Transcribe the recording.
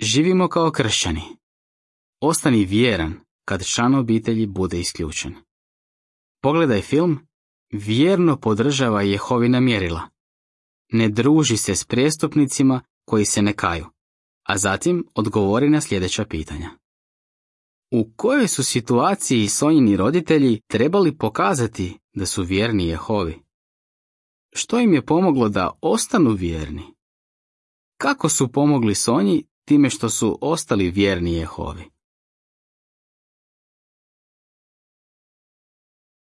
Živimo kao kršćani. Ostani vjeran kad član obitelji bude isključen. Pogledaj film, vjerno podržava Jehovina mjerila. Ne druži se s prijestupnicima koji se ne kaju, a zatim odgovori na sljedeća pitanja. U kojoj su situaciji Sonjini roditelji trebali pokazati da su vjerni Jehovi? Što im je pomoglo da ostanu vjerni? Kako su pomogli Sonji time što su ostali vjerni Jehovi?